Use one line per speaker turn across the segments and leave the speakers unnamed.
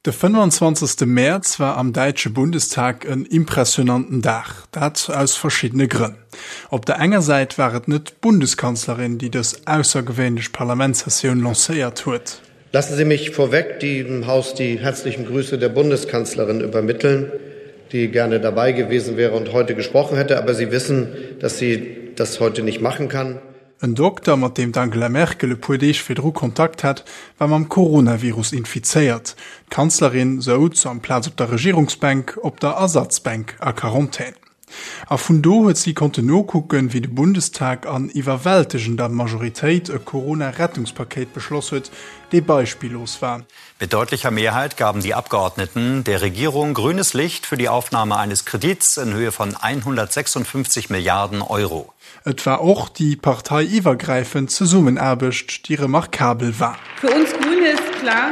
De 25. Mäerz war am däitsche Bundestag en impressionanten Dag, dat aus verschiddene Grënn. Op der enger Säit war et net d'Bundeskanzlerin, déi dës aussergewéinlech Parlamentssessioun lancéiert huet.
Lassen Sie mich vorweg dem Haus die herzlichen Grüße der Bundeskanzlerin übermitteln, die gerne dabei gewesen wäre und heute gesprochen hätte, aber Sie wissen, dass sie das heute nicht machen kann.
En Dokter, mat deem d'Angela Merkel e puer Deeg virdru Kontakt hat, war mam Coronavirus infizéiert. D'Kanzlerin souz amplaz op der Regierungsbänk op der Ersatzbänk a Quarantän. A vun do huet si konnten nokucken, wéi de Bundestag an iwwerwältegender Majoritéit e Corona-Rettungspakéit beschloss huet, dee beispillos war.
Mit deutlicher Mehrheit gaben die Abgeordneten der Regierung grünes Licht für die Aufnahme eines Kredits in Höhe von 156 Milliarden Euro.
Et war och déi parteiiwwergräifend Zesummenaarbecht, déi remarkabel war.
Für uns Grüne ist klar,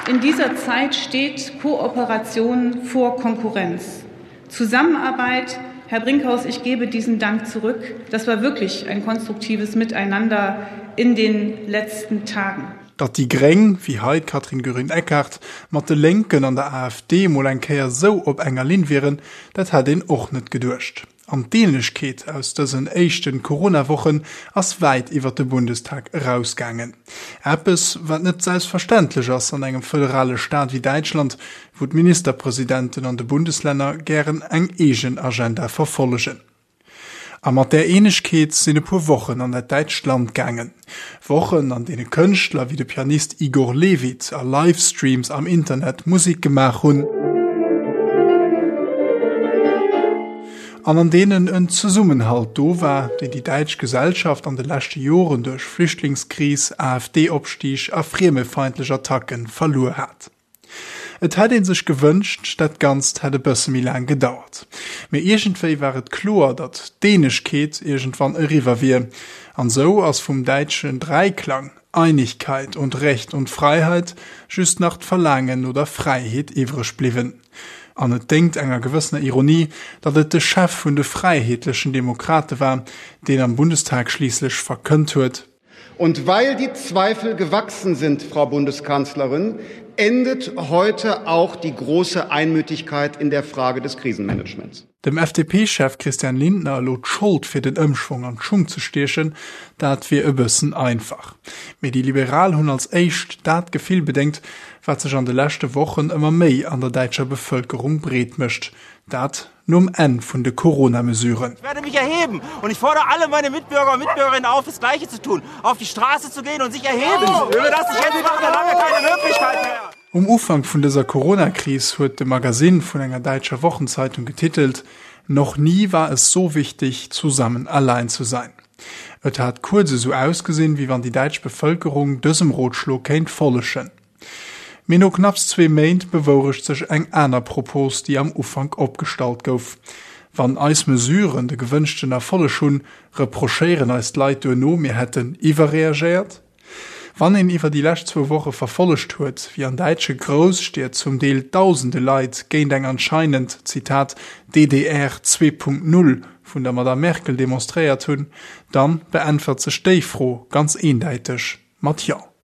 in dieser Zeit steht Kooperation vor Konkurrenz. Zusammenarbeit, Herr Brinkhaus, ich gebe diesen Dank zurück. Das war wirklich ein konstruktives Miteinander in den letzten Tagen.
Datt déi Gréng, wéi hei d'Katrin Göring-Eckardt, mat de Lénken an der AfD mol eng Kéier sou op enger Linn wieren, dat hätt een och net geduecht. An d'Ähnlechkeet aus dësen éischten Corona-Wochen ass wäit iwwer de Bundestag erausgaangen. Eppes, wat net selbstverständlech ass an engem föderale Staat wéi Däitschland, wou d'Ministerpresidenten an de Bundeslänner gären eng eegen Agenda verfollegen. A mat där Eenegkeet sinn e puer Wochen an dat däitscht Land gaangen. Wochen, an deene Kënschtler wéi de Pianist Igor Levit a Livestreams am Internet Musek gemaach hunn, an an deenen en Zesummenhalt do war, deen déi däitsch Gesellschaft an de leschte Joren duerch Flüchtlingskris, AfD-Opstieg a friemefeindlech Attacke verluer hat. Et hätt ee sech gewënscht, dat Ganzt hätt e bësse méi laang gedauert. Mee iergendwéi war et kloer, datt d'Eenegkeet iergendwann eriwwer wier. An esou ass vum däitschen Dräiklang Einigkeit und Recht und Freiheit just nach d'Verlaangen no der Fräiheet iwwreg bliwwen. An et déngt enger gewëssener Ironie, datt et de Chef vun de Fräiheetlechen Demokrate war, deen am Bundestag schliisslech verkënnt huet,
Und weil die Zweifel gewachsen sind, Frau Bundeskanzlerin, endet heute auch die große Einmütigkeit in der Frage des Krisenmanagements.
Dem FDP-Chef Christian Lindner elo d'Schold fir den Ëmschwong an d'Schung ze stiechen, dat wier e bëssen einfach. Mee déi Liberal hunn als éischt dat Gefill bedéngt, wat sech an de leschte Wochen ëmmer méi an der däitscher Bevëlkerung breet mécht, dat nom Enn vun de Corona-Mesuren.
Ich werde mich erheben und ich fordere alle meine Mitbürger und Mitbürgerinnen auf, das Gleiche zu tun, auf die Straße zu gehen und sich erheben. Wenn wir das nicht jetzt machen, dann haben wir keine Möglichkeit mehr.
Um Ufank vun dëser Corona-Kris huet de Magasinn vun enger däitscher Wochenzeitung getitelt, Noch nie war es so wichtig, zusammen allein zu sein. Et hat kuerz esou ausgesinn, wéi wann déi däitsch Bevëlkerung dësem Rotschlo kéint follegen. Mee no knapps zwee Méint bewourecht sech eng aner Propos, déi am Ufank opgestallt gouf. Wann eis Mesuren de gewënschten Erfolleg hunn, reprochéieren eis d'Leit duerno, mir hätten iwwerreagéiert. Wann een iwwer déi lescht zwou Woche verfollegt huet, wéi an däitsche Grousstied zum Deel dausende Leit géint eng anscheinend, Zitat, DDR 2.0 vun der Madame Merkel demonstréiert hunn, dann beäntwert sech déi Fro ganz eendäiteg mat Jo.